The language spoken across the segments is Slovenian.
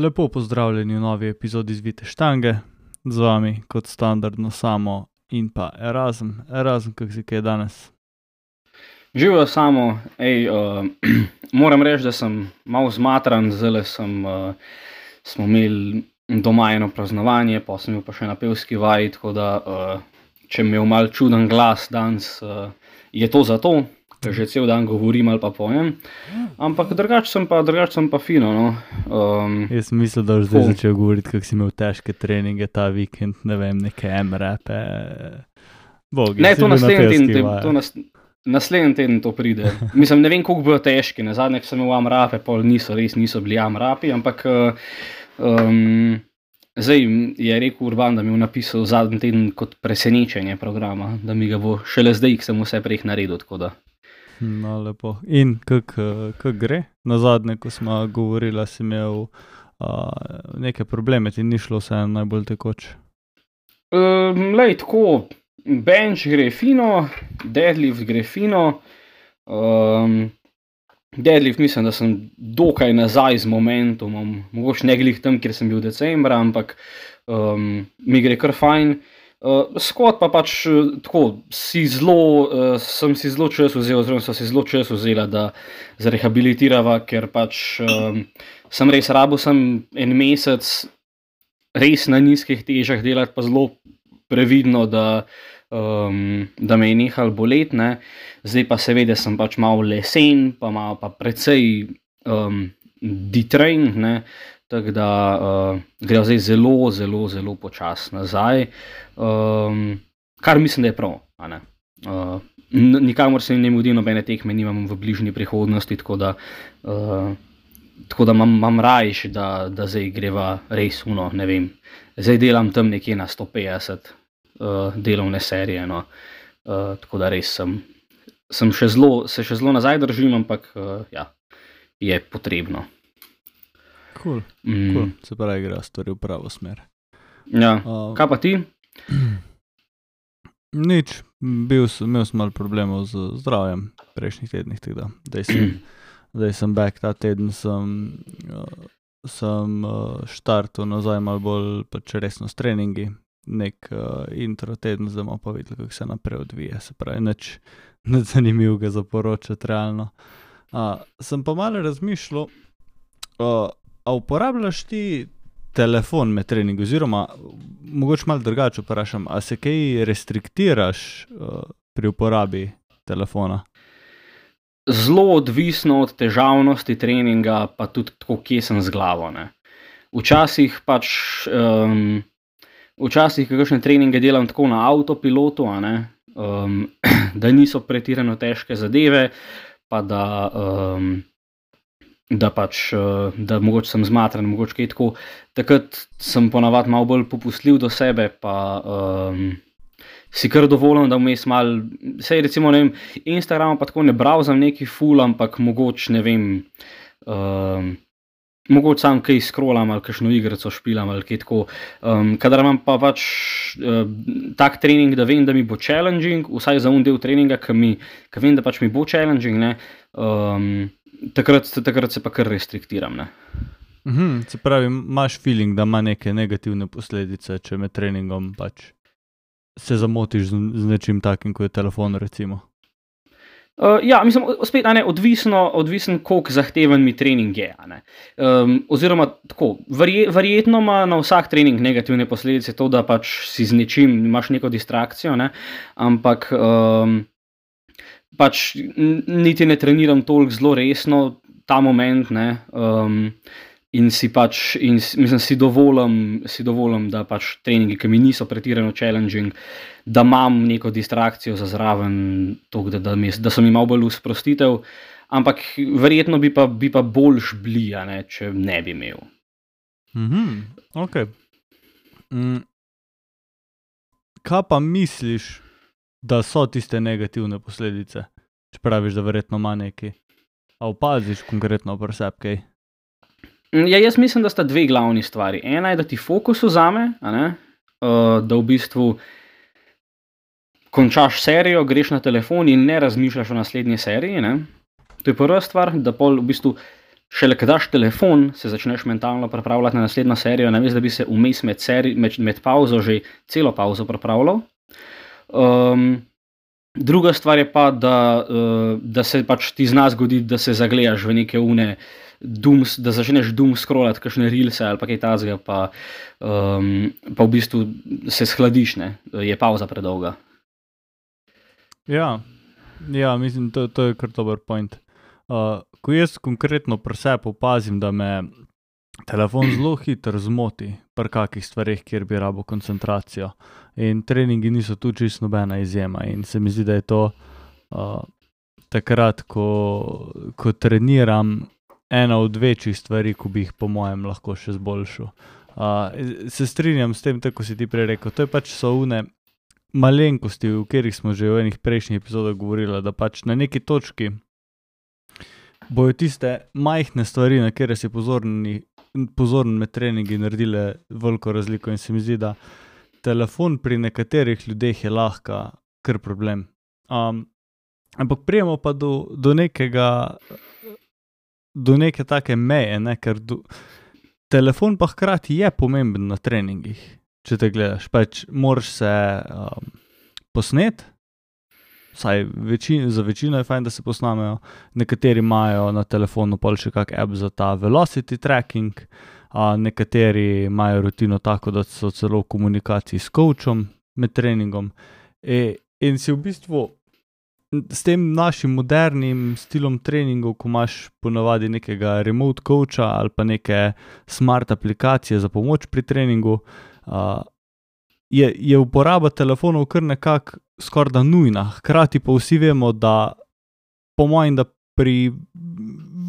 Lepo pozdravljeni v novi epizodi Zvite štange, z vami kot standardno Samo in pa Erazem. Erazem, kako si kaj danes? Živijo Samo, moram reči, da sem malo zmatran, zdaj smo imeli doma eno praznovanje, pa sem imel pa še na pevski vaji, tako da če mi je malo čuden glas danes, je to zato, ker že cel dan govorim ali pa pojem, ampak drugače sem pa fino, no. Jaz sem mislil, da boš zdaj začel govoriti, kako si imel težke treninge ta vikend, ne vem, neke M-rape. Bogi, Ne, si to bil na naslednji pevski teden, vaji. naslednji teden to pride. Mislim, ne vem, koliko bojo težki, nazadnje, ko sem imel M-rape, pol niso bili M-rapi, ampak zdaj je rekel Urban, da mi je napisal zadnji teden kot presenečenje programa, da mi ga bo šele zdaj, ko sem vse prej naredil, tako da. No, lepo. In kako gre? Nazadnje, ko smo govorili, si imel neke probleme, ti ni šlo vse najbolj tekoče. Lej, tako, bench gre fino, deadlift gre fino. Deadlift mislim, da sem dokaj nazaj z momentumom, mogoče ne glih tam, kjer sem bil decembra, ampak mi gre kar fajn. Squat pa pač tako, sem si zelo čas vzel, oziroma so si zelo čas vzela, da zrehabilitirava, ker pač sem res rabil en mesec res na nizkih težah delati, pa zelo previdno, da me je nehal bolet, ne. Zdaj pa seveda sem pač malo lesen, pa precej detrained, ne. Tako da gre zdaj zelo počasi nazaj, kar mislim, da je prav, a ne. Nikamor se ne mudi, nobene tekme nimam v bližnji prihodnosti, tako da imam rajš, da zdaj greva res ne vem. Zdaj delam tam nekje na 150 delovne serije, no. Tako da res se še zelo nazaj držim, ampak ja, je potrebno. Cool. Se pravi, igra stvari v pravo smer. Ja, kaj pa ti? Nič, imel sem malo problemov z zdravjem prejšnjih tednih, tako da zdaj sem back, ta teden sem štartal nazaj malo bolj pač resno s treningi, nek intro teden, zdaj bomo pa videli, kako se naprej odvija, se pravi, nič zanimivega za poročati realno. Sem pa malo razmišljal, a uporabljaš ti telefon med treningi, oziroma mogoče malo drugače vprašam, a se kaj restriktiraš pri uporabi telefona? Zelo odvisno od težavnosti treninga, pa tudi tako, kje sem z glavo, ne. Včasih kakšne treninge delam tako na avtopilotu, a ne, da niso pretirano težke zadeve, pa da mogoče sem zmatran, mogoče kaj tako. Takrat sem ponavadi malo bolj popustljiv do sebe, pa si kar dovolim, da vmes malo, saj recimo, ne vem, Instagrama pa tako ne browsam neki ful, ampak mogoče, ne vem, mogoče sam kaj scrollam ali kakšno igrico špilam ali kaj tako. Kadar imam pa pač tak trening, da vem, da mi bo challenging, vsaj za del treninga, ke vem, da pač mi bo challenging, ne, takrat se pa kar restriktiram, ne. Se pravi, imaš feeling, da ima neke negativne posledice, če med treningom pač se zamotiš z nečim takim, kot je telefon, recimo? Ja, mislim, spet, a ne, odvisen, koliko zahteven mi trening je, a ne. Oziroma tako, verjetno ima na vsak trening negativne posledice to, da pač si z nečim, imaš neko distrakcijo, ne, ampak pač niti ne treniram toliko zelo resno ta moment, ne, in si dovolim, da pač treningi, ki mi niso pretirano challenging, da imam neko distrakcijo za zraven, toliko, da so mi malo bolj v sprostitev, ampak verjetno bi pa boljš bili, a ne, če ne bi imel. Ok. Kaj pa misliš, da so tiste negativne posledice, če praviš, da verjetno ima neki? A opaziš konkretno pri sebi kaj? Ja, jaz mislim, da sta dve glavni stvari. Ena je, da ti fokus vzame, a ne, da v bistvu končaš serijo, greš na telefon in ne razmišljaš o naslednji seriji, ne. To je prva stvar, da pol v bistvu šele ko daš telefon, se začneš mentalno pripravljati na naslednjo serijo, namesto da bi se vmes med pauzo že celo pauzo pripravljal. Druga stvar je pa, da se pač ti zna zgoditi, da se zagledaš v neke da začneš scrollati kakšne reelse ali pa kaj takega, pa v bistvu se shladiš, ne, je pauza predolga. Ja, mislim, to je kar dober point. Ko jaz konkretno pri sebi opazim, da me telefon zelo hitro zmoti pri kakih stvarih, kjer bi rabo koncentracijo. In treningi niso tu čisto nobena izjema. In se mi zdi, da je to takrat, ko treniram, ena od večjih stvari, ko bi jih po mojem lahko še zboljšal. Se strinjam s tem, tako si ti prej rekel, to je pač so one malenkosti, o katerih smo že v enih prejšnjih epizodah govorili, da pač na neki točki bojo tiste majhne stvari, na kjer si pozoren med treningi naredile veliko razliko in se mi zdi, da telefon pri nekaterih ljudeh je lahko kar problem. Ampak prijemo pa do neke take meje, ne, ker telefon pa hkrati je pomemben na treningih, če te gledaš, pač moraš se posnet, vsaj za večino je fajn, da se posnamejo, nekateri imajo na telefonu pol še kak app za ta velocity tracking, nekateri imajo rutino tako, da so celo v komunikaciji s coachom med treningom in si v bistvu s tem našim modernim stilom treningov, ko imaš ponavadi nekega remote coacha ali pa neke smart aplikacije za pomoč pri treningu, je uporaba telefonov kar nekako skorda nujna. Hkrati pa vsi vemo, da po mojem, da pri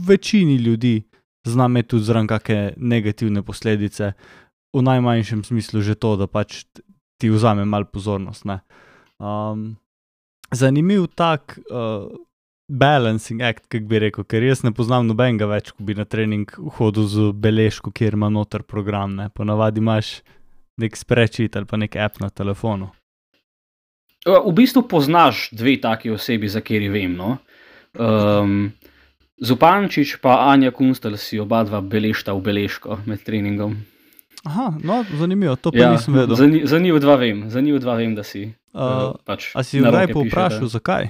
večini ljudi zna imeti tudi zraven kakšne negativne posledice, v najmanjšem smislu že to, da pač ti vzame malo pozornost, ne. Zanimiv tak balancing act, kak bi rekel, ker jaz ne poznam nobenega več, ko bi na trening hodil z beležko, kjer ima noter program, ne. Ponavadi imaš nek spreadsheet ali pa nek app na telefonu. V bistvu poznaš dve taki osebi, za kateri vem, no. Zupančič pa Anja Kunstelj si oba dva beležta v beležko med treningom. Aha, no, zanimivo, to pa nisem vedel. Za njih dva vem, da si pač a si kdaj povprašal, zakaj?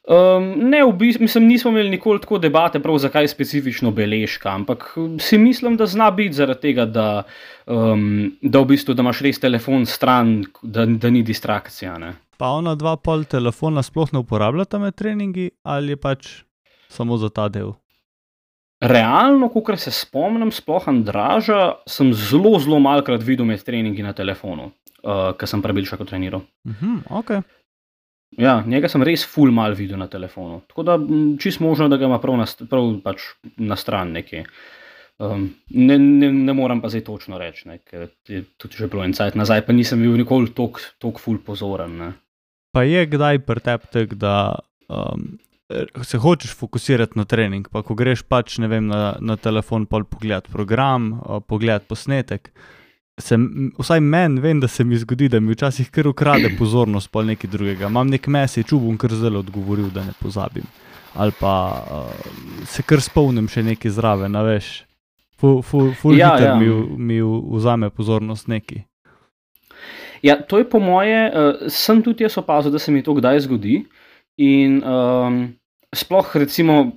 Ne, v bistvu, nismo imeli nikoli tako debate prav zakaj specifično beležka, ampak si mislim, da zna biti zaradi tega, da v bistvu, da imaš res telefon stran, da ni distrakcija, ne. Pa ona dva pol telefona sploh ne uporabljata med treningi ali je pač samo za ta del? Realno, kakor se spomnim, sploh Andraža, sem zelo malokrat videl med treningi na telefonu, ko sem prebilšako treniral. Ok. Ja, njega sem res ful mal videl na telefonu, tako da čisto možno, da ga ima prav pač na stran nekje. Ne moram pa zdaj točno reči, ne, ker je tudi že bilo en cajt nazaj, pa nisem bil nikoli toliko ful pozoren, ne. Pa je kdaj pri tebi tak, da se hočeš fokusirati na trening, pa ko greš pač, ne vem, na telefon pol pogledati program, pogledati posnetek, vsaj meni vem, da se mi zgodi, da mi včasih kar ukrade pozornost pol nekaj drugega. Imam nek message, bom kar zelo odgovoril, da ne pozabim. Ali pa se kar spomnim še nekaj zraven, a veš. Ful hiter mi vzame pozornost neki. Ja, to je po moje, sem tudi jaz opazil, da se mi to kdaj zgodi in sploh recimo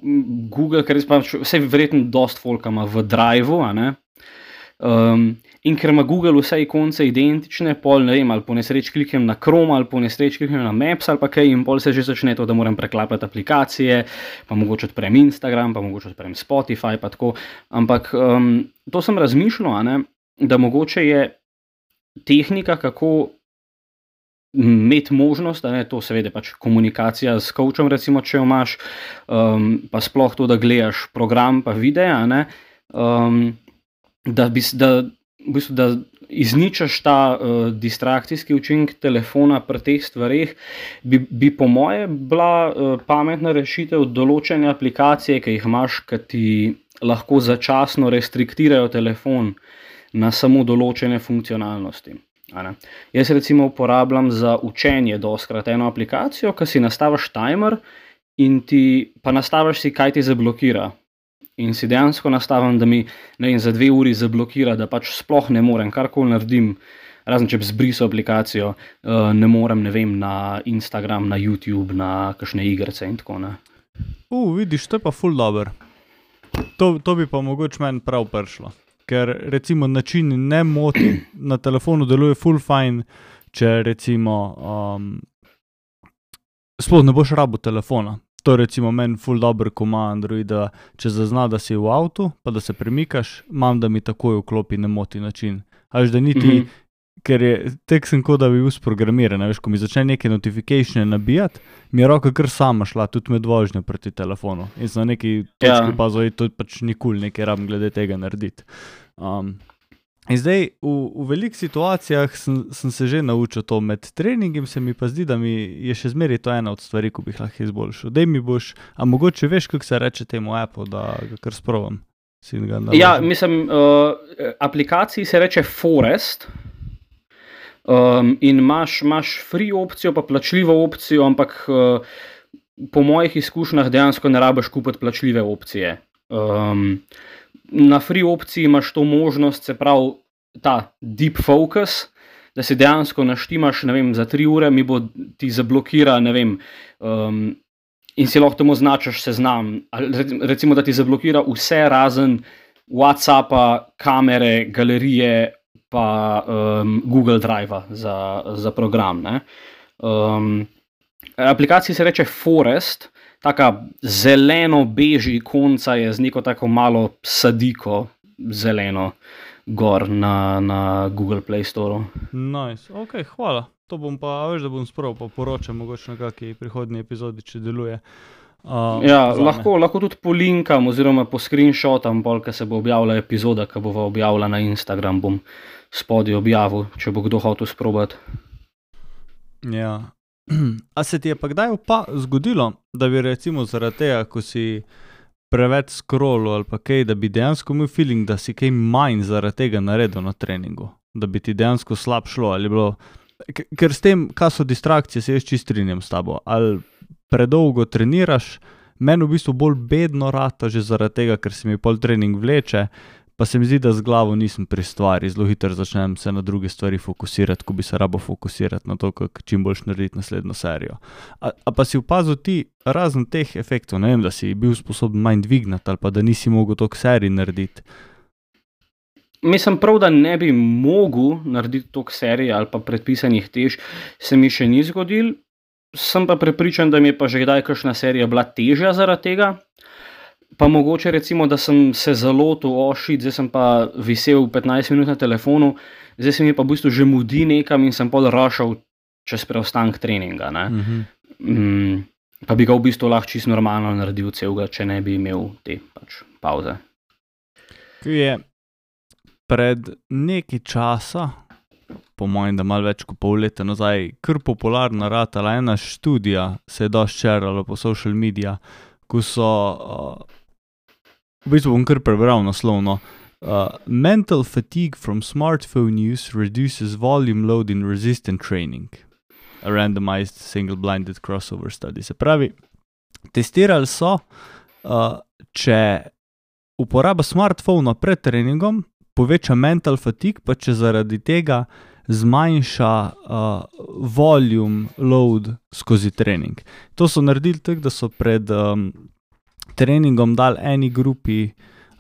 Google, ker vse verjetno dost folka ima v Driveu, a ne, in ker ima Google vse ikonce identične, pol ne vem, ali po nesreč kliknem na Chrome, ali po nesreč kliknem na Maps, ali pa kaj, in pol se že začne to, da moram preklapati aplikacije, pa mogoče odprem Instagram, pa mogoče odprem Spotify, pa tako, ampak to sem razmišljal, a ne, da mogoče je tehnika, kako imeti možnost, da ne, to seveda pač komunikacija s coachom, recimo, če jo imaš, pa sploh to, da gledaš program pa videa, ne, da izničaš ta distrakcijski učinek telefona pri teh stvareh, bi po moje bila pametna rešitev določene aplikacije, ki jih imaš, ki ti lahko začasno restriktirajo telefon na samo določene funkcionalnosti. Jaz recimo uporabljam za učenje dostikrat eno aplikacijo, ki si nastaviš timer in pa nastaviš si, kaj ti zablokira. in si dejansko nastavim, da mi za 2 uri zablokira, da pač sploh ne morem, karkoli naredim, razen če bi zbrisal aplikacijo, ne morem, na Instagram, na YouTube, na kakšne igrice in tako ne. Vidiš, to je pa ful dober. To bi pa mogoče meni prav prišlo. Ker recimo način ne moti na telefonu deluje ful fajn, če recimo sploh ne boš rabil telefona. To recimo meni ful dober, ko ima Android, da če zazna, da si v avtu, pa da se premikaš, imam, da mi takoj vklopi ne moti način. Až da niti, ker je tek sem kot da bi bil sprogramiran, veš, ko mi začne neke notificatione nabijati, mi je roka kar sama šla, tudi med vožnjo proti telefonu. In sem na neki točki pazil, to pač nikoli nekaj rabim glede tega narediti. In zdaj, v velikih situacijah sem se že naučil to, med treningom se mi pa zdi, da mi je še zmeraj to ena od stvari, ko bi lahko izboljšal. Dej mi boš, a mogoče veš, kako se reče temu appu, da ga kar sprovam? Ja, mislim, aplikaciji se reče Forest in imaš free opcijo, pa plačljivo opcijo, ampak po mojih izkušnjah dejansko ne rabiš kupiti plačljive opcije. Na free opciji imaš to možnost, se pravi ta deep focus, da si dejansko naštimaš, za 3 ure mi bo ti zablokira, in si lahko temu značiš seznam, recimo, da ti zablokira vse razen WhatsAppa, kamere, galerije, pa Google Drive-a za program, ne. Aplikaciji se reče Forest, taka zeleno-beži ikonca je z neko tako malo sadiko zeleno gor na Google Play Store. Nice, ok, hvala. To bom pa, veš, da bom sproval, pa poročam mogoče na kakšni prihodnji epizodi, če deluje. Lahko tudi polinkam oziroma po screenshotam, ko se bo objavila epizoda, ki bo objavila na Instagram, bom spodaj objavil, če bo kdo hotel sprobati. Ja. A se ti je pa kdaj zgodilo, da bi recimo zaradi tega, ko si preveč scrollal ali pa kaj, da bi dejansko imel feeling, da si kaj manj zaradi tega naredil na treningu? Da bi ti dejansko slab šlo ali bilo... Ker s tem, kaj so distrakcije, se jaz čist strinjam s tabo. Ali predolgo treniraš, meni v bistvu bolj bedno rata že zaradi tega, ker se mi pol trening vleče, pa se mi zdi, da z glavo nisem pri stvari, zelo hitro začnem se na druge stvari fokusirati, ko bi se rabo fokusirati na to, kako čim boljš narediti naslednjo serijo. A pa si opazil ti razen teh efektov, ne vem, da si bil sposoben manj dvignati ali pa da nisi mogel toliko serij narediti? Mislim prav, da ne bi mogel narediti toliko serij ali pa predpisanih tež, se mi še ni zgodil. Sem pa prepričan, da mi je pa že kdaj kakšna serija bila težja zaradi tega. Pa mogoče recimo, da sem se zalotil, zdaj sem pa visel 15 minut na telefonu, zdaj se mi pa v bistvu že mudi nekam in sem pol rašal čez preostanek treninga, ne. Pa bi ga v bistvu lahko čisto normalno naredil celega, če ne bi imel te pač pauze. Je pred nekaj časa, po mojem, da malo več kot pol leta nazaj, kar popularna ratala ena študija, se je dosti šerala po social media, ko so, v bistvu bom kar prebral naslovno, mental fatigue from smartphone use reduces volume load in resistant training. A randomized single-blinded crossover study. Se pravi, testirali so, če uporaba smartphona pred treningom poveča mental fatigue, pa če zaradi tega zmanjša volume load skozi trening. To so naredili tako, da so pred treningom dali eni grupi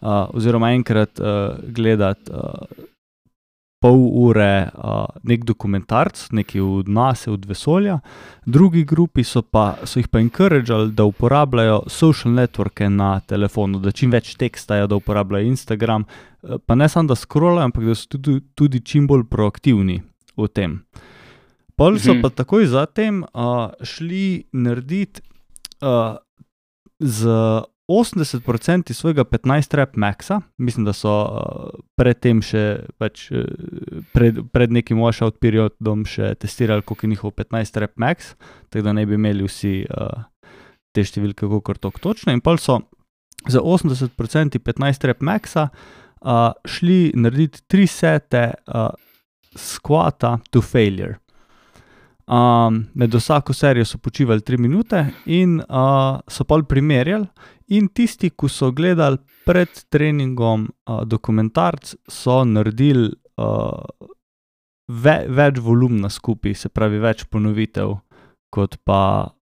oziroma enkrat gledati pol ure nek dokumentarc, neki od NASA, od vesolja, drugi grupi so jih pa encourageali, da uporabljajo social networke na telefonu, da čim več tekstajo, da uporabljajo Instagram, pa ne samo da scrollajo, ampak da so tudi čim bolj proaktivni v tem. Pol so pa takoj zatem šli narediti z 80% svojega 15 rep maxa, mislim, da so predtem še pred nekim washout periodom še testirali, koliko je njihov 15 rep max, tako da ne bi imeli vsi te številke kakor točno, in pol so za 80% 15 rep maxa šli narediti 3 sete squata to failure. Med vsako serijo so počivali 3 minute in so pol primerjali in tisti, ki so gledali pred treningom dokumentarc, so naredili več volumna skupaj, se pravi več ponovitev, kot pa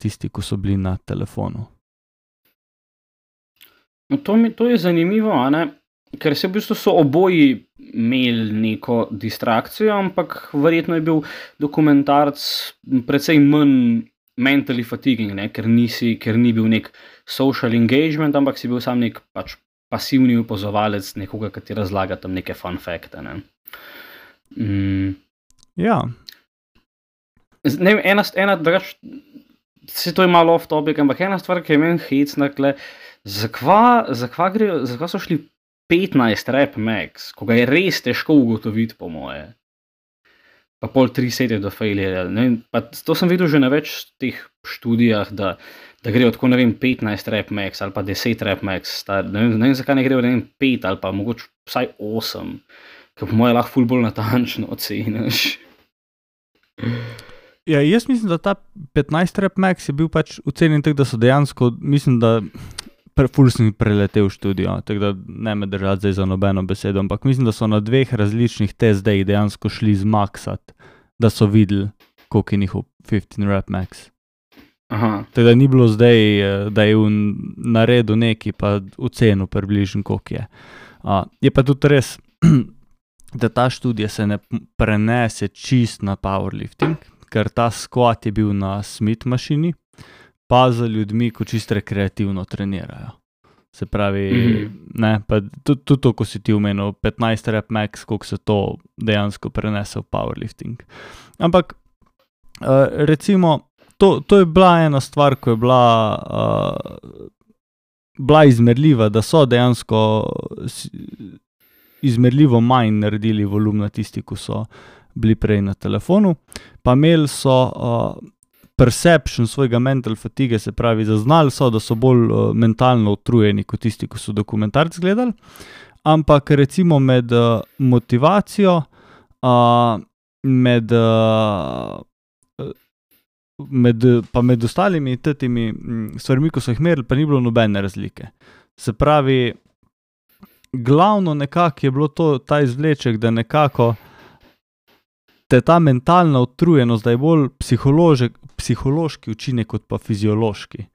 tisti, ki so bili na telefonu. To je zanimivo, a ne? Ker se v bistvu so oboji imeli neko distrakcijo, ampak verjetno je bil dokumentarc precej manj mentally fatiguing, ne? Ker ni bil nek social engagement, ampak si bil sam nek pač pasivni opazovalec nekoga, ki ti razlaga tam neke fun fakte, ne? Ja. Ne vem, ena drugač, se to je malo off topic, ampak ena stvar, ki je meni hecna, zakva so šli 15 rep max, ko ga je res težko ugotoviti, po moje. Pa pol 3 sete do failure. To sem videl že na več teh študijah, da gre od 15 rep max ali pa 10 rep max. Ne vem, zakaj ne gre od 5 ali pa mogoče vsaj 8, ker po moje lahko ful bolj natančno oceniš. Ja, jaz mislim, da ta 15 rep max je bil pač ocenjen tako, da so dejansko, mislim, da ful sem preletel študijo, tako da ne me držati zdaj za nobeno besedo, ampak mislim, da so na 2 različnih testih dejansko šli zmaksati, da so videli, koliko je njihov 15 rep max. Aha. Tako da ni bilo zdaj, da je naredil neki pa ocenil približno, koliko je. Je pa tudi res, da ta študija se ne prenese čist na powerlifting, ker ta squat je bil na Smith mašini, pa za ljudmi, ko čisto rekreativno trenirajo. Se pravi, ne, pa tudi to, ko si ti omenil, 15 rep max, koliko se to dejansko prenese v powerlifting. Ampak, recimo, to je bila ena stvar, ko je bila izmerljiva, da so dejansko izmerljivo manj naredili volumna tisti, ko so bili prej na telefonu, pa imeli so perception svojega mental fatigue, se pravi, zaznali so, da so bolj mentalno utrujeni kot tisti, ko so dokumentarc gledali, ampak recimo med motivacijo, med ostalimi temi stvarmi, ko so jih merili, pa ni bilo nobene razlike. Se pravi, glavno nekako je bilo ta izvleček, da nekako te ta mentalna utrujenost, da je bolj psihološki učinek kot pa fiziološki.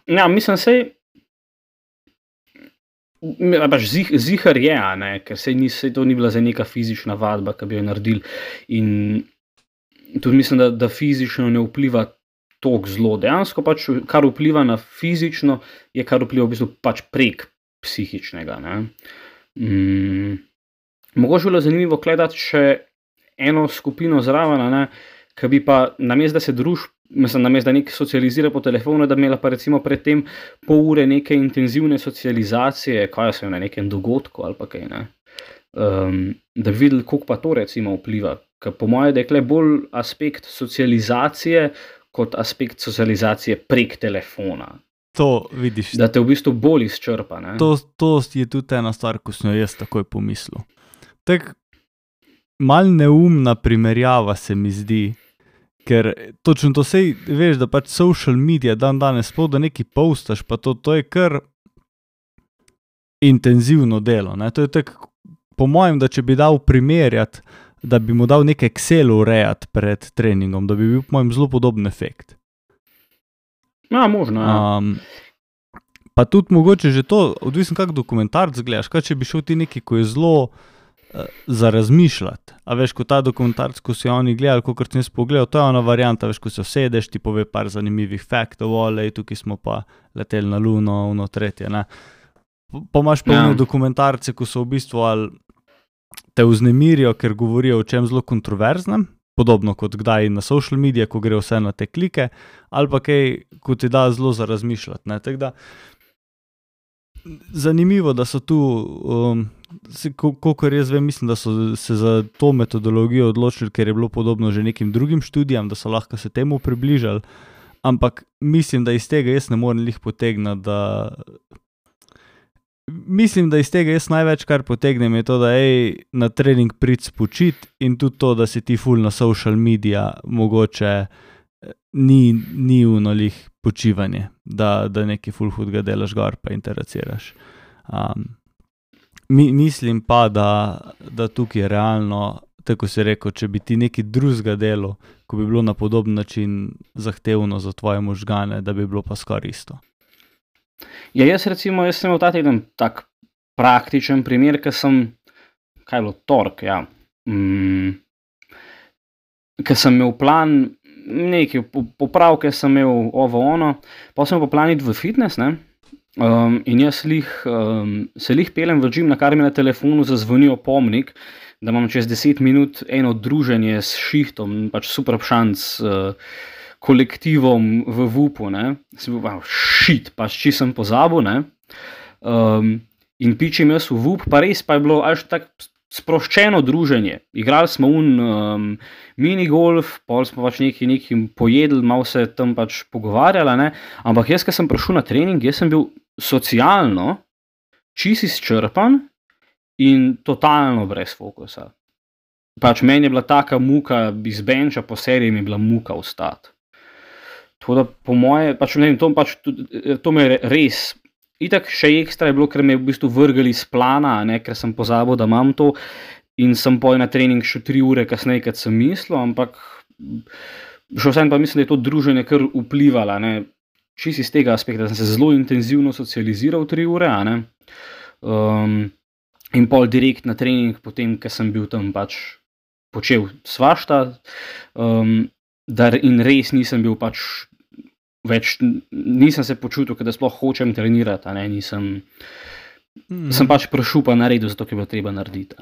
Ja, mislim, zihar je, a ne, ker to ni bila za neka fizična vadba, ki bi jo naredili, in tudi mislim, da fizično ne vpliva toliko zelo. Dejansko pač, kar vpliva na fizično, je kar vpliva v bistvu pač prek psihičnega, ne. Mogoče bilo zanimivo gledati še eno skupino zraven, ne, ki bi pa namesto, da se namesto, da nek socializira po telefonu, da bi imela pa recimo pred tem pol ure neke intenzivne socializacije, kaj so na nekem dogodku ali pa kaj, ne. Da bi videli, koliko pa to recimo vpliva. Ker po moje, da je bolj aspekt socializacije kot aspekt socializacije prek telefona. To vidiš. Da te v bistvu bolj izčrpa, ne. To je tudi ena stvar, ko sem jo jaz takoj pomislil. Tako malo neumna primerjava se mi zdi, ker točno to sej, veš, da pač social media danes sploh, da nekaj postaš, pa to je kar intenzivno delo, ne. To je tako, po mojem, da če bi dal primerjati, da bi mu dal nek Excel urejati pred treningom, da bi bil po mojem zelo podoben efekt. Ja, možno, ja. Pa tudi mogoče že to, odvisno kak dokumentarc gledaš, kaj če bi šel ti neki, ko je zelo za razmišljati. A veš, ko ta dokumentarc, ko si oni gledali, kakor sem jaz pogledal, to je ona varianta, veš, ko se vsedeš, ti pove par zanimivih faktov, tukaj smo pa leteli na Luno, ono tretje, ne. Pa imaš pa dokumentarce, ko so v bistvu ali te vznemirijo, ker govorijo o čem zelo kontroverznem, podobno kot kdaj na social media, ko gre vse na te klike, ali pa kaj, ko ti da zelo za razmišljati, ne. Tako da zanimivo, da so tu, kolikor jaz vem, mislim, da so se za to metodologijo odločili, ker je bilo podobno že nekim drugim študijam, da so lahko se temu približali, ampak mislim, da iz tega jaz ne morem lih potegniti, da mislim, da iz tega jaz največ, kar potegnem, je to, da na trening prid spočit in tudi to, da si ti ful na social media, mogoče ni unolih počivanje, da neki ful hudga delaš gor pa interaciraš. Mislim pa, da tukaj je realno, tako si rekel, če bi ti neki drugega delo, ko bi bilo na podoben način zahtevno za tvoje možgane, da bi bilo pa skoraj isto. Ja, jaz sem imel ta teden tak praktičen primer, ker sem, kaj je bilo, tork, ja. Ker sem imel plan, nekaj popravke sem imel ono, pa sem imel plan iti v fitness, ne. In jaz se peljem v gym, na kar mi na telefonu zazvoni opomnik, da imam čez 10 minut eno druženje s šihtom, pač super šanc kolektivom v VUP-u, ne. Sem bil, shit, pač či sem pozabil, ne. In pičim jaz v VUP, pa res pa je bilo až tak sproščeno druženje. Igrali smo minigolf, pol smo pač nekaj pojedli, malo se tam pač pogovarjali, ne. Ampak jaz, ko sem prišel na trening, jaz sem bil socialno čisto izčrpan in totalno brez fokusa. Pač meni je bila taka muka iz benča, po seriji mi je bila muka vstati. Tako da po moje, pač ne vem, to me je res, itak še ekstra je bilo, ker me je v bistvu vrgli iz plana, ne, ker sem pozabil, da imam to in sem na trening šel 3 ure kasneje, kot sem mislil, ampak še vsem pa mislim, da je to druženje kar vplivalo, ne. Čisto iz tega aspekta, da sem se zelo intenzivno socializiral 3 ure, a ne. In pol direkt na trening, potem, ker sem bil tam pač počel svašta, in res nisem bil pač več, nisem se počutil, da sploh hočem trenirati, a ne, sem pač prišel pa naredil, zato ker je bilo treba narediti.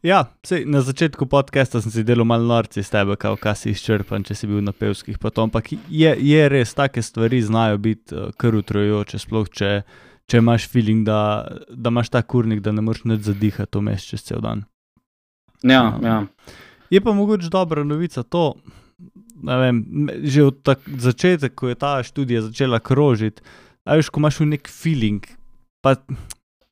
Ja, sej, na začetku podcasta sem si delal malo norci s tebe, kaj si izčrpan, če si bil na pevskih pa to, ampak je res, take stvari znajo biti kar utrujajoče, sploh če imaš feeling, da imaš ta kurnik, da ne moreš nič zadihati vmes čez cel dan. Ja. Je pa mogoče dobra novica to, ne vem, že od začetek, ko je ta študija začela krožiti, a veš, ko imaš nek feeling, pa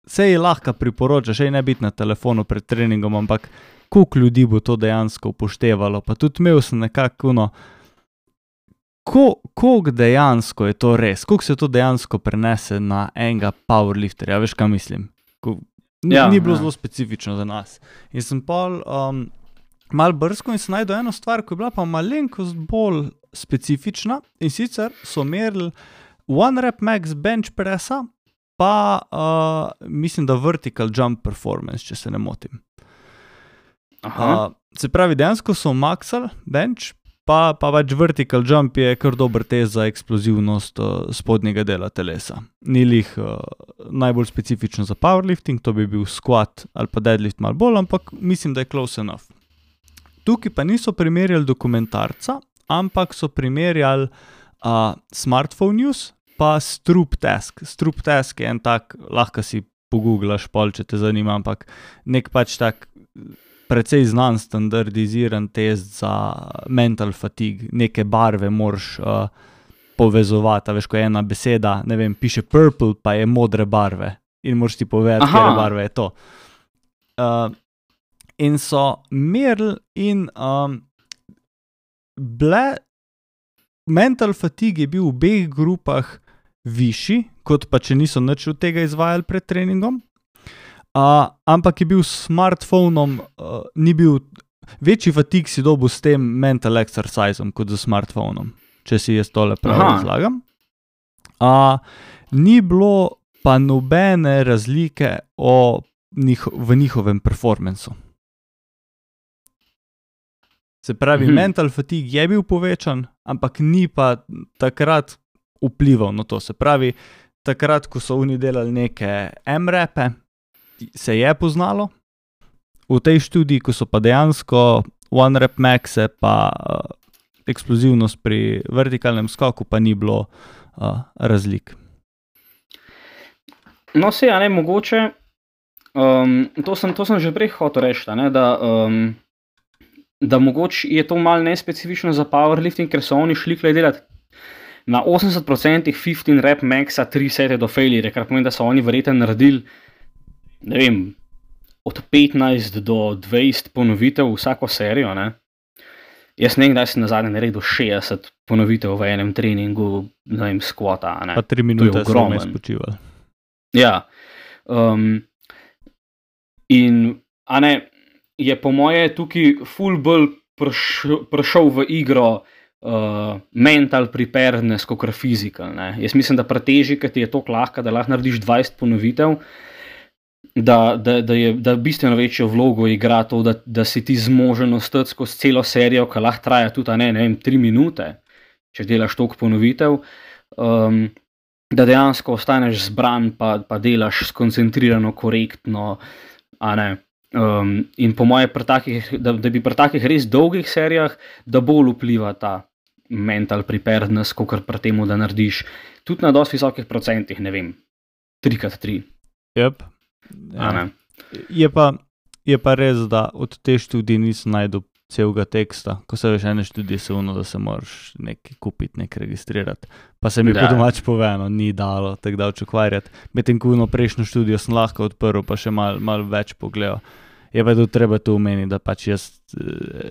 se je lahko priporoča, še ne biti na telefonu pred treningom, ampak koliko ljudi bo to dejansko upoštevalo, pa tudi imel sem nekako koliko dejansko je to res, koliko se to dejansko prenese na enega powerlifterja, veš, kaj mislim? Ni bilo zelo specifično za nas. In sem pol malo brskal in sem najdel eno stvar, ko je bila pa malenkost bolj specifična, in sicer so merili one rep max bench pressa, pa mislim, da vertical jump performance, če se ne motim. Se pravi, dejansko so maksali bench, pa pač vertical jump je kar dober test za eksplozivnost spodnjega dela telesa. Ni lih najbolj specifično za powerlifting, to bi bil squat ali pa deadlift malo bolj, ampak mislim, da je close enough. Tukaj pa niso primerjali dokumentarca, ampak so primerjali smartphone use, pa Stroop Task. Stroop Task je en tak, lahko si pogooglaš pol, če te zanima, ampak nek pač tak precej znan standardiziran test za mental fatigue. Neke barve moraš povezovati, veš, ko je ena beseda, ne vem, piše purple, pa je modre barve in moraš ti povedati, kjere barve je to. In so merili in mental fatigue je bil v obeh grupah višji, kot pa če niso nič od tega izvajali pred treningom, ampak je bil s smartphonom, ni bil, večji fatigue si dobil s tem mental exerciseom kot z smartphonom, če si jaz tole prav razlagam. Ni bilo pa nobene razlike v njihovem performancu. Se pravi, mental fatigue je bil povečan, ampak ni pa takrat vplival na to. Se pravi, takrat, ko so oni delali neke M-repe, se je poznalo. V tej študiji, ko so pa dejansko one rep maxe, pa eksplozivnost pri vertikalnem skoku, pa ni bilo razlik. No, se ja, ne, mogoče, to sem že prej hotel reči, ne, da mogoče je to malo nespecifično za powerlifting, ker so oni šli delati na 80% 15 rep maxa 3 sete do failure, kar pomeni, da so oni verjetno naredili, ne vem, od 15 do 20 ponovitev vsako serijo, ne. Jaz ne vem, kdaj sem nazadnje naredil 60 ponovitev v enem treningu, ne vem, squata, ne. Pa 3 minute so me spočivali. Ja. In, a ne, je po moje tukaj ful bolj prišel v igro mental preparedness kakor physical, ne. Jaz mislim, da pri teži, ki ti je toliko lahko, da lahko narediš 20 ponovitev, da bistveno večjo vlogo igra to, da si ti zmožen ostati skozi celo serijo, ki lahko traja tudi, ne vem, 3 minute, če delaš toliko ponovitev, da dejansko ostaneš zbran, pa delaš skoncentrirano, korektno, a ne. In po moje, da bi pri takih res dolgih serijah, da bolj vpliva ta mental preparedness, kakor pri temu, da narediš tudi na dosti visokih procentih, ne vem, 3x3. Yep. Ja. Je pa res, da od te študije nisem najdel celega teksta, ko se veš ene študije se da se moraš nekaj kupiti, nekaj registrirati. Pa se mi po domač povedano ni dalo tako dalč ukvarjati. Medtem ko prejšnjo študijo sem lahko odprl, pa še malo več pogledal. Je pa tudi treba to omeniti, da pač jaz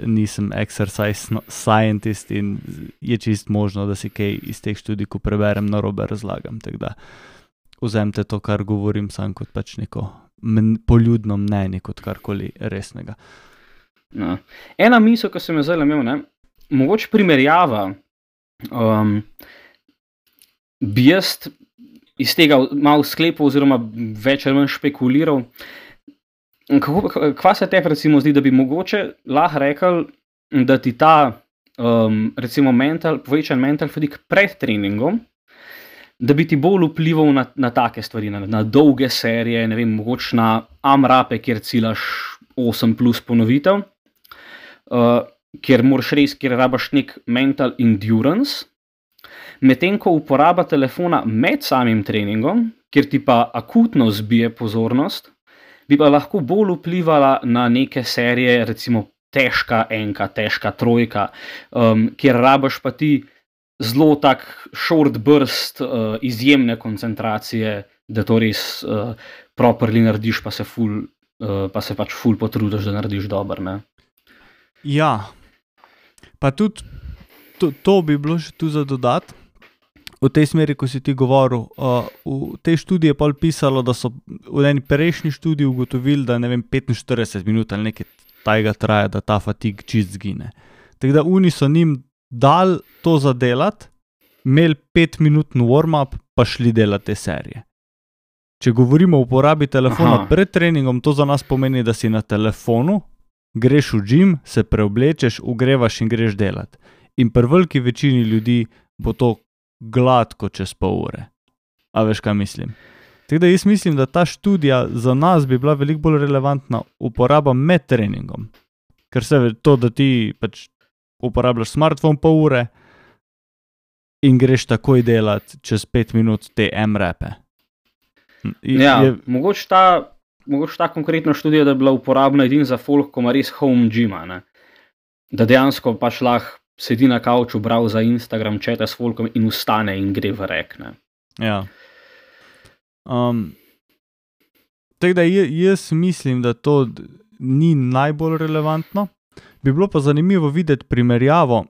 nisem exercise scientist in je čist možno, da si kaj iz teh študij, ko preberem, narobe razlagam. Tako da vzemite to, kar govorim, sam kot pač neko poljudno mnenje, kot karkoli resnega. No. Ena misel, ki sem jo zdaj imel, ne, mogoče primerjava, bi jaz iz tega malo sklepal oziroma več ali manj špekuliral, kva se tebi recimo zdi, da bi mogoče lahko rekel, da ti ta recimo povečan mental fatigue pred treningom, da bi ti bolj vplival na take stvari, na dolge serije, ne vem, mogoče na AMRAPe, kjer ciljaš 8 plus ponovitev, kjer moraš res, kjer rabaš nek mental endurance, medtem ko uporaba telefona med samim treningom, kjer ti pa akutno zbije pozornost, bi pa lahko bolj vplivala na neke serije, recimo težka enka, težka trojka, kjer rabaš pa ti zelo tak short burst izjemne koncentracije, da to res properly narediš, pa se pač ful potrudiš, da narediš dobro, ne. Ja, pa tudi to bi bilo še tu za dodati. V tej smeri, ko si ti govoril, v tej študiji je pa pisalo, da so v eni prejšnji študiji ugotovili, da ne vem, 45 minut ali nekaj tajega traja, da ta fatigue čist zgine. Tako da oni so njim dal to zadelati, imeli 5-minutni warm-up, pa šli delati te serije. Če govorimo o uporabi telefona pred treningom, to za nas pomeni, da si na telefonu, greš v gym, se preoblečeš, ugrevaš in greš delati. In pri veliki večini ljudi bo to gladko čez pol ure. A veš, kaj mislim? Tako da jaz mislim, da ta študija za nas bi bila veliko bolj relevantna uporaba med treningom. Ker se ve to, da ti pač uporabljaš smartphone pol ure in greš takoj delati čez 5 minut te AMRAPe. Mogoče ta konkretna študija, da je bila uporabna edin za folk, ko ima res home gyma, ne. Da dejansko pač lahko sedi na kavču, browsa Instagram, četa s folkom in vstane in gre v rek, ne. Ja. Tako da jaz mislim, da to ni najbolj relevantno. Bi bilo pa zanimivo videti primerjavo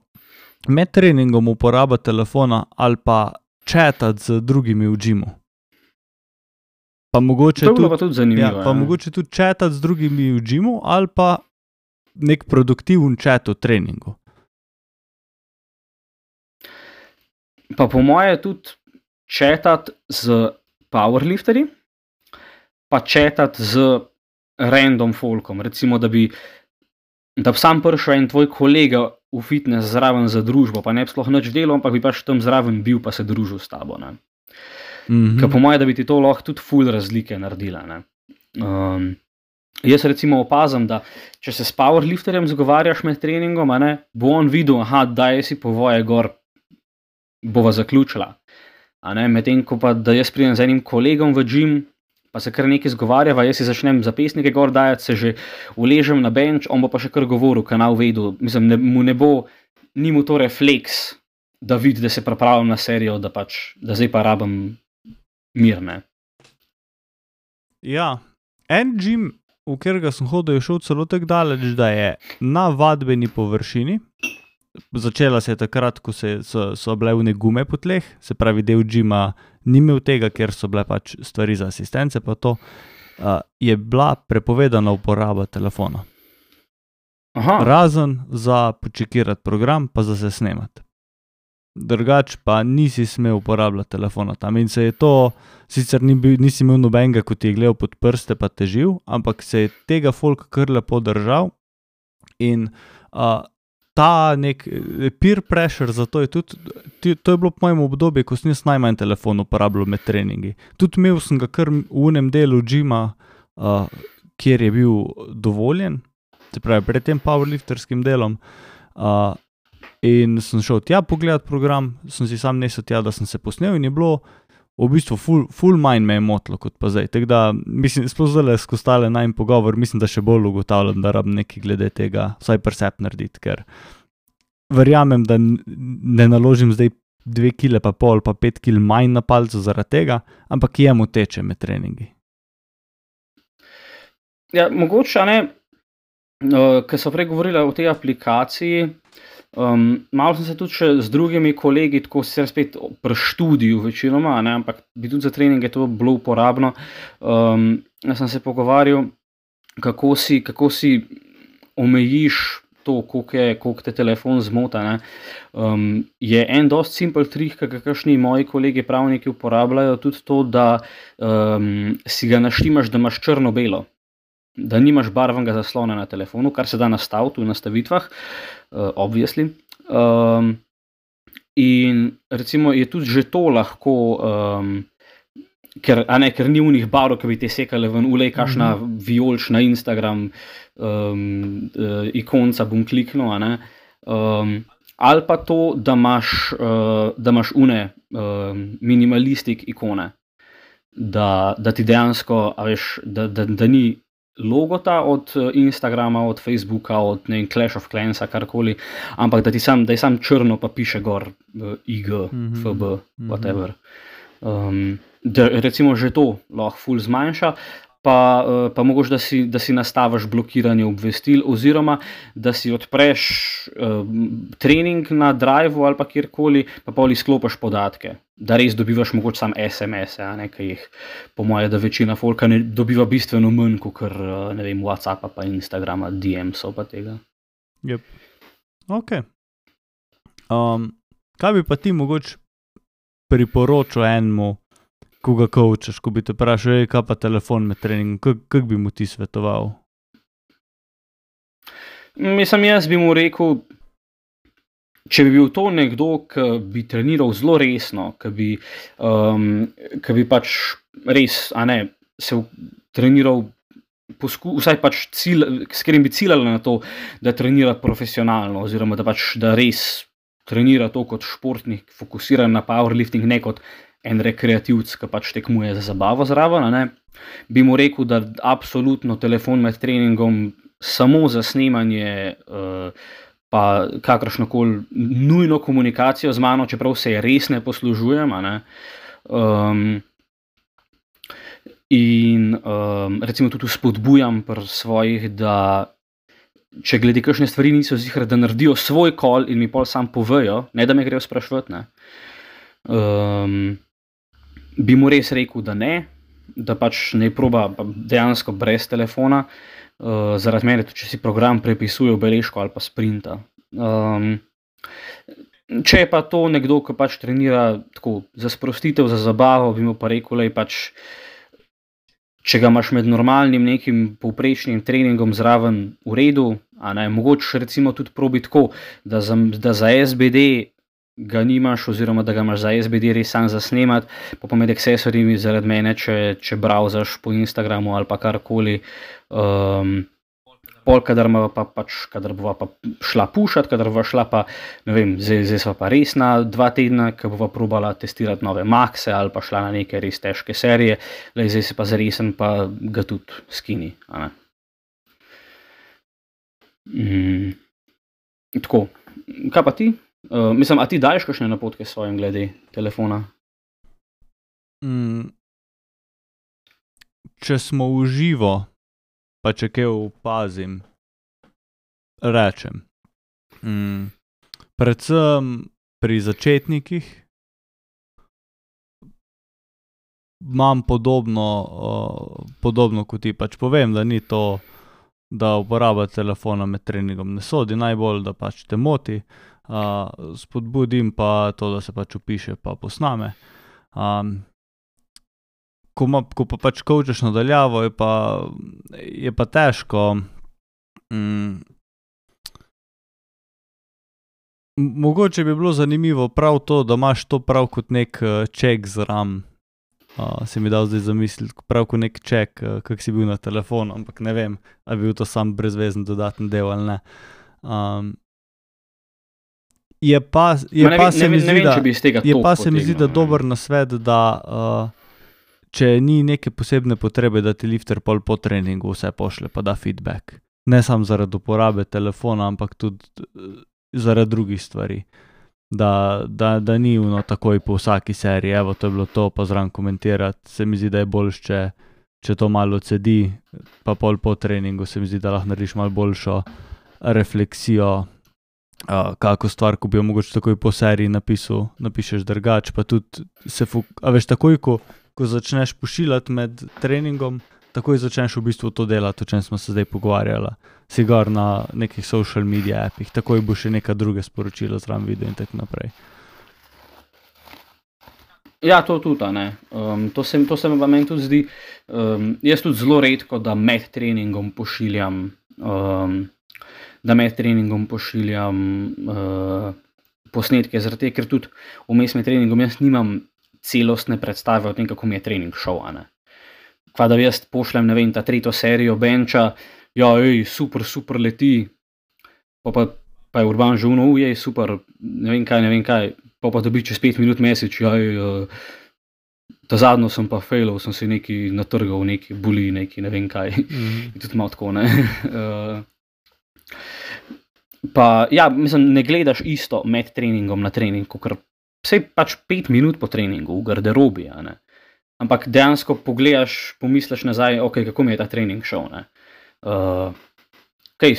med treningom uporaba telefona ali pa chatati z drugimi v gymu. Pa mogoče to je bilo pa tudi zanimivo. Pa mogoče tudi chatati z drugimi v gymu ali pa nek produktiven chat v treningu. Pa po moje tudi chatati z powerlifterji, pa chatati z random folkom. Recimo, da bi sam prišel en tvoj kolega v fitness zraven za družbo, pa ne bi sploh nič delal, ampak bi pač tam zraven bil, pa se družil s tabo, ne. Ker po moje, da bi ti to lahko tudi ful razlike naredila, ne. Jaz recimo opazim, da če se s powerlifterjem zgovarjaš med treningom, ne, bo on videl, daj si povoje gor, bova zaključila. Medtem ko pa, da jaz pridem z enim kolegom v gym, pa se kar nekaj zgovarjava, jaz si začnem zapisnike gor dajati, se že uležem na bench, on bo pa še kar govoril, kanal vedel, mislim, ni mu to refleks, da vidi, da se pripravljam na serijo, da zdaj pa rabim mir, ne. Ja, en gym, v katerega sem hodil, je šel celo tako daleč, da je na vadbeni površini, začela se je takrat, ko so bile vne gume po tleh, se pravi del gyma ni imel tega, ker so bile pač stvari za asistence, pa to je bila prepovedana uporaba telefona. Aha. Razen za počekirati program, pa za se snemati. Drugač pa nisi smel uporabljati telefona tam in se je to, sicer nisi imel nobenega, ko ti je gledal pod prste pa težil, ampak se je tega folk kar lepo držal in ta nek peer pressure, zato je tudi, to je bilo po mojem obdobju, ko sem jaz najmanj telefon uporabljal med treningi. Tudi imel sem ga kar v unem delu gyma, kjer je bil dovoljen, se pravi pred tem powerlifterskim delom, in sem šel tja pogledat program, sem si sam nesel tja, da sem se posnel in je bilo v bistvu ful manj me je motilo kot pa zdaj. Tako da, mislim, sploh zdaj skozi tale najin pogovor, mislim, da še bolj ugotavljam, da rabim nekaj glede tega, vsaj percept narediti, ker verjamem, da ne naložim zdaj 2,5 kg pa 5 kg manj na palcu zaradi tega, ampak jemu teče med treningi. Ja, mogoče, ne, ker so prej govorila o tej aplikaciji, malo sem se tudi še z drugimi kolegi, tako sicer spet pri študiju večinoma, ne, ampak bi tudi za treninge to bilo uporabno. Jaz sem se pogovarjal, kako si omejiš to, koliko te telefon zmota. Ne. Je en dosti simpel trik, kakšni moji kolegi pravniki uporabljajo, tudi to, da si ga naštimaš, da imaš črno-belo. Da nimaš barvnega zaslona na telefonu, kar se da nastaviti v nastavitvah, obviously. In recimo je tudi že to lahko, ker ni unih barv, ki bi te sekale ven, ulej kakšna vijolična Instagram ikonca, bom kliknil, ali pa to, da imaš une minimalistik ikone, da ti dejansko, da ni logota od Instagrama, od Facebooka, od Clash of Clansa, karkoli, ampak da je sam črno pa piše gor IG, FB, whatever. Da recimo že to lahko ful zmanjša, pa mogoče, da si nastaviš blokiranje obvestil oziroma da si odpreš trening na Driveu ali pa kjerkoli, pa pol izklopiš podatke, da res dobivaš mogoče sam SMS-e, ki jih po moje, da večina folka ne dobiva bistveno manj, kot ne vem, WhatsAppa pa Instagrama, DM-sov pa tega. Yep. Ok. Kaj bi pa ti mogoče priporočil enemu, ko ga coachaš, ko bi te vprašal, kaj pa telefon med treningom, kako bi mu ti svetoval? Jaz bi mu rekel, če bi bil to nekdo, ki bi treniral zelo resno, ki bi pač res, se treniral, vsaj pač s katerim bi ciljali na to, da trenira profesionalno, oziroma da res trenira to kot športnik, fokusiran na powerlifting, ne kot en rekreativc, ki pač tekmuje za zabavo zraven, bi mu rekel, da absolutno telefon med treningom samo za snemanje pa kakršnokoli nujno komunikacijo z mano, čeprav se je res ne poslužujem, in recimo tudi spodbujam pri svojih, da če glede kakšne stvari niso ziher, da naredijo svoj call in mi pol sam povejo, ne da me grejo spraševati, bi mu res rekel, da ne, da pač ne proba dejansko brez telefona, zaradi mene, tudi če si program prepisuje v beležko ali pa sprinta. Če je pa to nekdo, ki pač trenira tako za sprostitev, za zabavo, bi mu pa rekel, pač, če ga imaš med normalnim nekim povprečnim treningom zraven v redu, mogoče recimo tudi probi tako, da za SBD ga nimaš, oziroma da ga imaš za SBD res sam za snemat, pa med accessorji zaradi mene, če browsaš po Instagramu ali pa karkoli, pol, kadar bova pa šla pušat, kadar bova šla pa, ne vem, zdaj sva pa res na 2 tedna, ko bova probala testirati nove makse ali pa šla na neke res težke serije, zdaj se pa zaresen pa ga tudi skini. Tako, kaj pa ti? Mislim, a ti daješ kakšne napotke svojim glede telefona? Če smo v živo, pa če kaj opazim, rečem. Predvsem pri začetnikih imam podobno kot ti, pač povem, da ni to, da uporaba telefona med treningom ne sodi najbolj, da pač te moti. Spodbudim pa to, da se pač vpiše pa posname. Ko pa pač coachaš nadaljavo, je pa težko. Mogoče bi bilo zanimivo prav to, da imaš to prav kot nek check zraven. Si mi dal zdaj zamisliti, prav kot nek check, kak si bil na telefonu, ampak ne vem, ali bi bil to sam brezvezen dodaten del ali ne. Je pa se mi zdi, da dober nasvet, da če ni neke posebne potrebe, da ti lifter pol po treningu vse pošlje pa da feedback. Ne samo zaradi uporabe telefona, ampak tudi zaradi drugih stvari. Da ni takoj po vsaki seriji, evo, to je bilo to, pa zraven komentirati. Se mi zdi, da je boljše, če to malo cedi, pa pol po treningu se mi zdi, da lahko narediš malo boljšo refleksijo, kako stvar, ko bi jo mogoče takoj po seriji napišeš drugače, pa tudi a veš, takoj, ko začneš pošiljati med treningom, takoj začneš v bistvu to delati, o čem smo se zdaj pogovarjali. Si gor na nekih social media appih, takoj bo še neka druga sporočila zraven video in tako naprej. Ja, to tudi, ne. To se mi pa meni tudi zdi, jaz tudi zelo redko, da med treningom pošiljam posnetke, zaradi tega, ker tudi vmes med treningom jaz nimam celostne predstave o tem, kako mi je trening šel, ne. Kva da jaz pošljem, ne vem, ta 3. serijo benča, ja, super leti, pa je Urban že super, ne vem kaj, pa dobi čez 5 minut message, ta zadnjo sem pa failal, sem se nekaj natrgal, nekaj boli, nekaj ne vem kaj, in tudi malo tako, ne. Pa, ja, mislim, ne gledaš isto med treningom na trening, ker vsej pač 5 minut po treningu v garderobi, ne. Ampak dejansko pogledaš, pomisliš nazaj, ok, kako mi je ta trening šel, ne.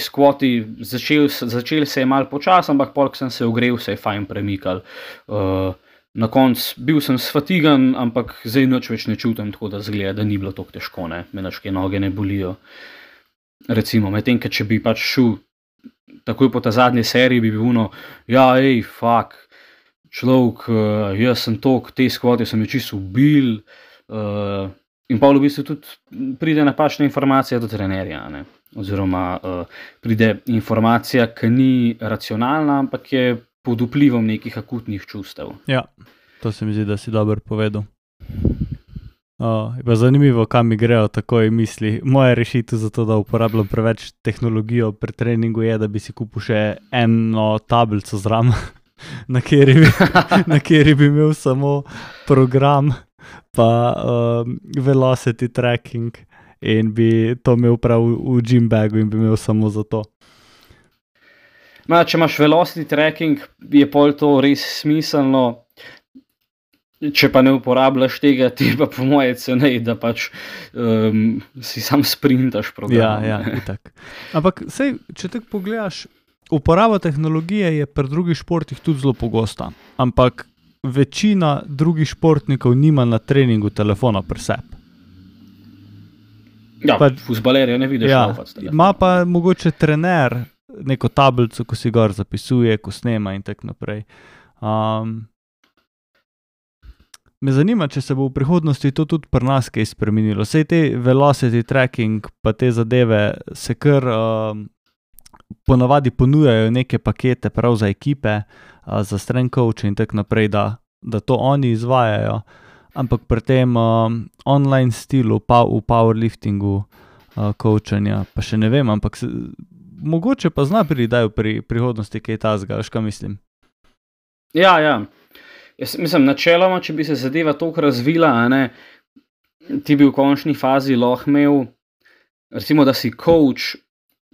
Squati, začel se je malo počas, ampak polk sem se ogrel, se je fajn premikal. Na koncu bil sem sfatigan, ampak zdaj nič več ne čutim, tako da zgleda, da ni bilo tako težko, ne. Me naške noge ne bolijo. Recimo, medtem, če bi pač šel takoj po ta zadnji seriji, bi bil fuck, človek, jaz sem tok, te squati so me čisto ubil. In pa v bistvu tudi pride napačna informacija do trenerja, ne. Oziroma pride informacija, ki ni racionalna, ampak je pod vplivom nekih akutnih čustev. Ja, to se mi zdi, da si dobro povedal. Je pa zanimivo, kam mi grejo takoj misli. Moja rešitev za to, da uporabljam preveč tehnologijo pri treningu, je, da bi si kupil še eno tablico zraven, na kateri bi imel samo program pa velocity tracking in bi to imel prav v gym bagu in bi imel samo za to. Če imaš velocity tracking, je pol to res smiselno. Če pa ne uporabljaš tega, ti pa po moje cenej, da pač si sam sprintaš program. Ja, itak. Ampak sej, če tako pogledaš, uporaba tehnologije je pri drugih športih tudi zelo pogosta, ampak večina drugih športnikov nima na treningu telefona pri sebi. Ja, fuzbalerja ne vidiš laufati s telefonom. Ima pa mogoče trener neko tablico, ko si gor zapisuje, ko snema in tako naprej. Me zanima, če se bo v prihodnosti to tudi pri nas kaj spremenilo. Sej te velocity tracking pa te zadeve se kar ponavadi ponujajo neke pakete prav za ekipe, za strength coache in tako naprej, da to oni izvajajo. Ampak pri tem online stilu, pa v powerliftingu coachanja, pa še ne vem, ampak mogoče pa zna pridajo pri prihodnosti kaj tazga, veš kaj mislim? Ja. Jaz mislim, načeloma, če bi se zadeva toliko razvila, ti bi v končni fazi lahko imel, recimo, da si coach,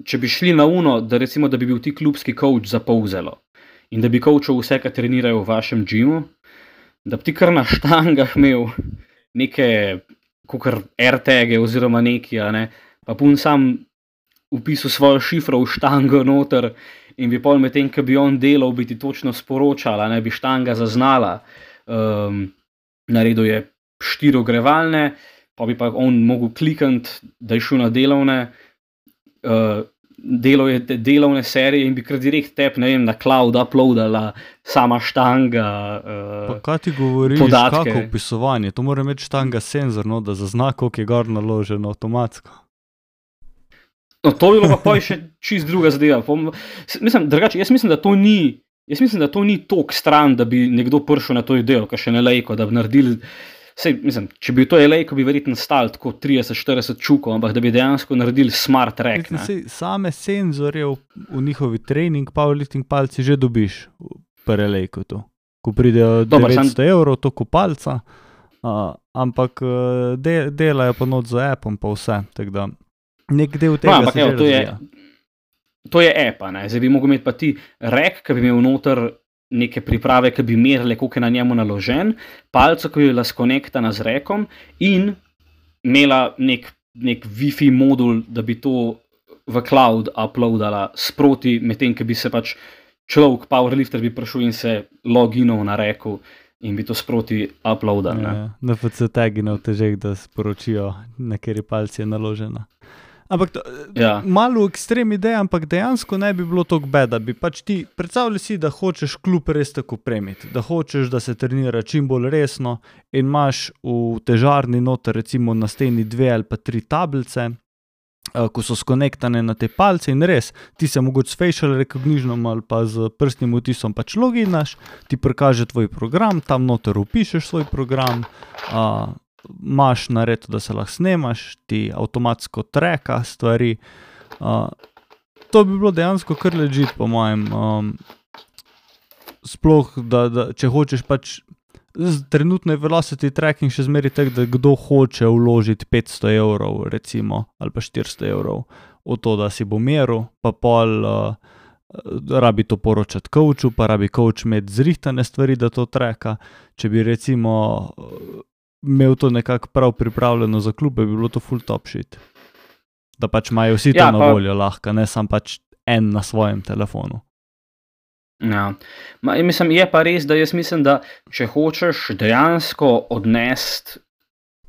če bi šli na uno, da recimo, da bi bil ti klubski coach za Polzelo in da bi coachal vse, kar trenirajo v vašem gymu, da bi ti kar na štangah imel neke kakor AirTage oziroma neki, pa pun sam upisal svojo šifro v štango noter in bi pol medtem, ko bi on delal, bi ti točno sporočala, bi štanga zaznala. Naredil je 4 ogrevalne, pa bi pa on mogel klikniti, da je šel na delovne, delal je te delovne serije in bi kar direkt tep, ne vem, na cloud uploadala sama štanga Pa kaj ti govoriš, podatke. kako upisovanje? To mora imeti štanga senzor, no, da zazna, koliko je gor naloženo avtomatsko. No, to bi bilo pa poj še čist druga zadeva. Mislim, drugače, jaz mislim, da to ni tok stran, da bi nekdo prišel na to idejo, kar še ne lejko, da bi naredili. Sej, mislim, če bi to je lejko, bi verjetno stali tako 30-40 čukov, ampak da bi dejansko naredili smart rack. Same senzorje v njihovi trening, powerlifting palci že dobiš pri lejku tu. Ko pridejo 900 evrov, to kupalca, ampak delajo pa not za appom pa vse, tako da nek del tega se že razvija. To je app, zdaj bi mogel imeti pa ti rack, ki bi imel noter neke priprave, ki bi merile, koliko je na njemu naložen, palco, ki bi bila skonektana z rekom in imela nek Wi-Fi modul, da bi to v cloud uploadala sproti, medtem, ki bi se pač človek, powerlifter bi prišel in se loginal na reku in bi to sproti uploadal. NFC tagi na otežek, da sporočijo, na kateri palci je naložena. Ampak malo ekstrem ideja, ampak dejansko ne bi bilo tako bad, da bi pač ti predstavljali si, da hočeš klub res tako opremiti, da hočeš, da se trenira čim bolj resno in imaš v težarni noter recimo na steni 2 ali pa 3 tablice, ko so skonektane na te palce in res, ti se mogoče s facial recognitionom ali pa z prstnim odtisom pač loginaš, ti prikaže tvoj program, tam noter upišeš svoj program, imaš naredo, da se lahko snemaš, ti avtomatsko treka stvari. To bi bilo dejansko kar legit, po mojem. Sploh, da če hočeš pač, trenutno je velocity tracking še zmeri tak, da kdo hoče vložiti 500 evrov, recimo, ali pa 400 evrov v to, da si bo meril, pa pol rabi to poročati coachu, pa rabi coach imeti zrihtane stvari, da to treka. Če bi recimo imel to nekako prav pripravljeno za klube, bi bilo to full top shit. Da pač imajo vsi to na voljo lahko, ne sam pač en na svojem telefonu. Ja. Mislim, je pa res, da jaz mislim, da če hočeš dejansko odnesti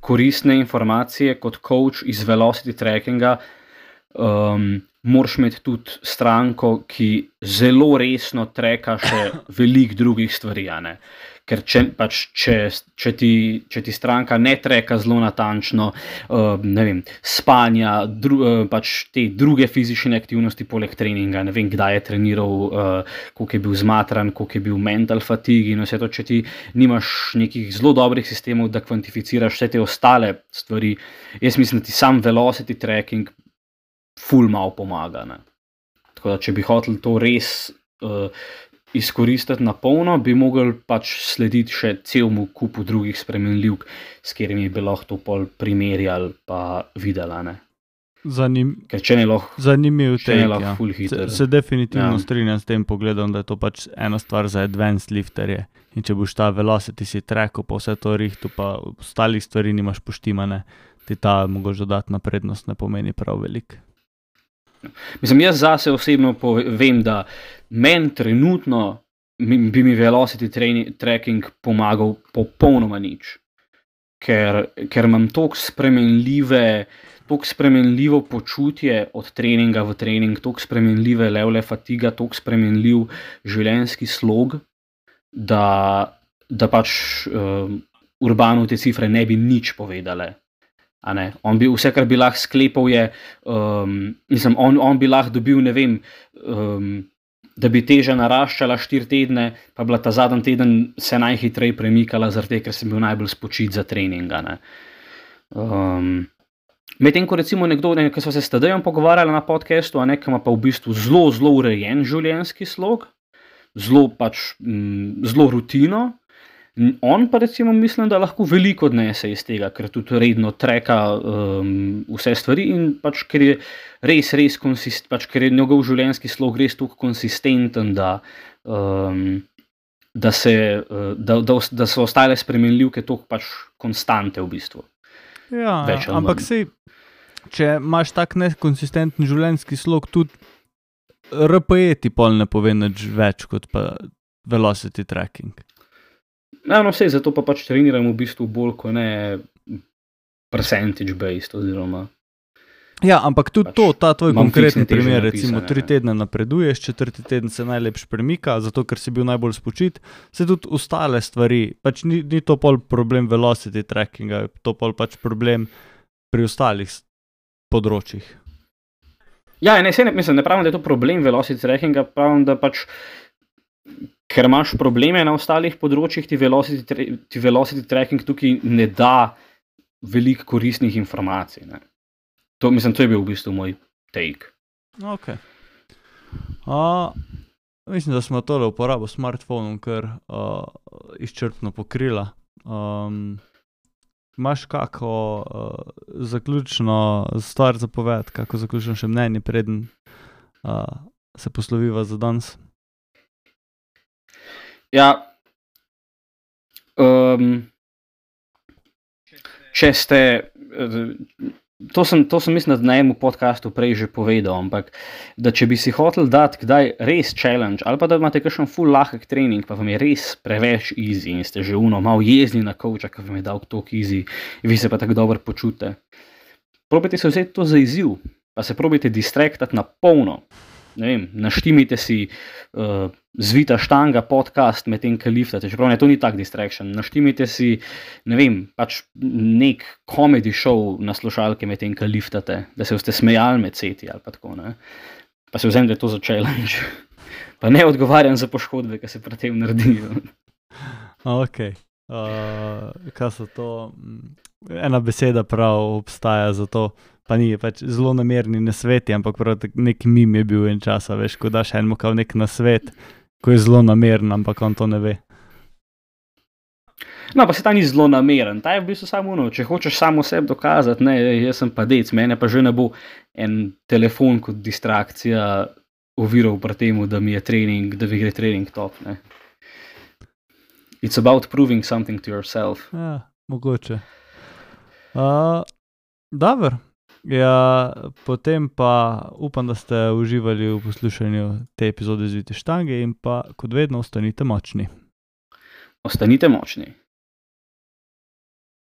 koristne informacije kot coach iz velocity trackinga, moraš imeti tudi stranko, ki zelo resno treka še veliko drugih stvari, Ker če ti stranka ne treka zelo natančno, ne vem, spanja, pač te druge fizične aktivnosti poleg treninga, ne vem, kdaj je treniral, koliko je bil zmatran, koliko je bil mental fatigue in vse to, če ti nimaš nekih zelo dobrih sistemov, da kvantificiraš vse te ostale stvari, jaz mislim, da ti sam velocity tracking ful malo pomaga. Tako da, če bi hotel to res izkoristiti na polno, bi mogli pač slediti še celemu kupu drugih spremenljivk, s katerimi bi lahko to pol primerjali pa videla. Ker če ne lahko full hiter. Se definitivno strinjam s tem pogledom, da je to pač ena stvar za advanced lifterje. In če boš ta velocity si tracku, pa vse to rihtu, pa ostalih stvari nimaš poštimane, ti ta mogoče dodatna prednost ne pomeni prav veliko. Mislim, jaz zase osebno vem, da meni trenutno bi mi velocity tracking pomagal popolnoma nič. Ker imam toliko spremenljivo počutje od treninga v trening, toliko spremenljive levle fatiga, toliko spremenljiv življenjski slog, da pač Urbanu te cifre ne bi nič povedale. On bi vse, kar bi lahko sklepal je, on bi lahko dobil, ne vem, da bi teža naraščala 4 tedne, pa bila ta zadnji teden se najhitreje premikala, zaradi ker sem bil najbolj spočit za treninga. Medtem ko recimo nekdo, ki so se s Tadejem pogovarjali na podcastu, ki ima pa v bistvu zelo urejen življenjski slog, zelo rutino, on pa recimo mislim, da lahko veliko odnese iz tega, ker tudi redno treka vse stvari in pač ker je res ker je njegov življenjski slog res tako konsistenten, da da so ostale spremenljivke toliko pač konstante v bistvu. Ja, Več ali ampak manj. sej, če imaš tak nekonsistenten življenjski slog, tudi RPE ti pol ne pove nič več kot pa velocity tracking. Ja, no, sej, zato pa pač treniram v bistvu bolj, ko ne percentage based oziroma. Ja, ampak tudi Pač ta tvoj imam konkretni fiksne teže primer, recimo napisane, 3 ne. tedne napreduješ, 4. teden se najlepš premika, zato ker si bil najbolj spočit, se tudi ostale stvari, pač ni to pol problem velocity trackinga, to pol pač problem pri ostalih področjih. Ja, ne pravim, da je to problem velocity trackinga, pravim, da pač, ker imaš probleme na ostalih področjih, ti velocity tracking tukaj ne da veliko koristnih informacij, ne. To je bil v bistvu moj take. Ok. Mislim, da smo tole uporabo smartphonom kar izčrpno pokrila. Imaš kako zaključno stvar za povedati, kako zaključno še mnenje, preden se posloviva za danes? Ja, če ste, to sem mislim, da na enem podcastu prej že povedal, ampak da če bi si hotel dati kdaj res challenge, ali pa da imate kakšen full lahek trening, pa vam je res preveč easy in ste že malo jezni na coacha, ki vam je dal toliko easy, vi se pa tako dobro počutite. Probajte se vzeti to za izziv, pa se probajte distraktati na polno. Ne vem, naštimite si Zvita štanga podcast med tem, ko liftate, čeprav ne, to ni tak distraction. Naštimite si, ne vem, pač nek comedy show na slušalke med tem, ko liftate, da se boste smejali med seti ali pa tako, ne. Pa se vzemite to za challenge. Pa ne odgovarjam za poškodbe, ki se pri tem naredijo. Ok. Kaj so to? Ena beseda prav obstaja za to, pa ni, pač zelo namerni nasveti, ampak prav nek mim je bil en čas, veš, ko daš enemu kao nek nasvet, ko je zelo nameren, ampak on to ne ve. No, pa se ta ni zelo nameren, ta je v bistvu samo ono, če hočeš samo sebi dokazati, ne, jaz sem pa dec, mene pa že ne bo en telefon kot distrakcija oviral pri temu, da mi gre trening top, ne. It's about proving something to yourself. Ja, mogoče. Dobro. Ja, potem pa upam, da ste uživali v poslušanju te epizode Zvite štange in pa kot vedno ostanite močni. Ostanite močni.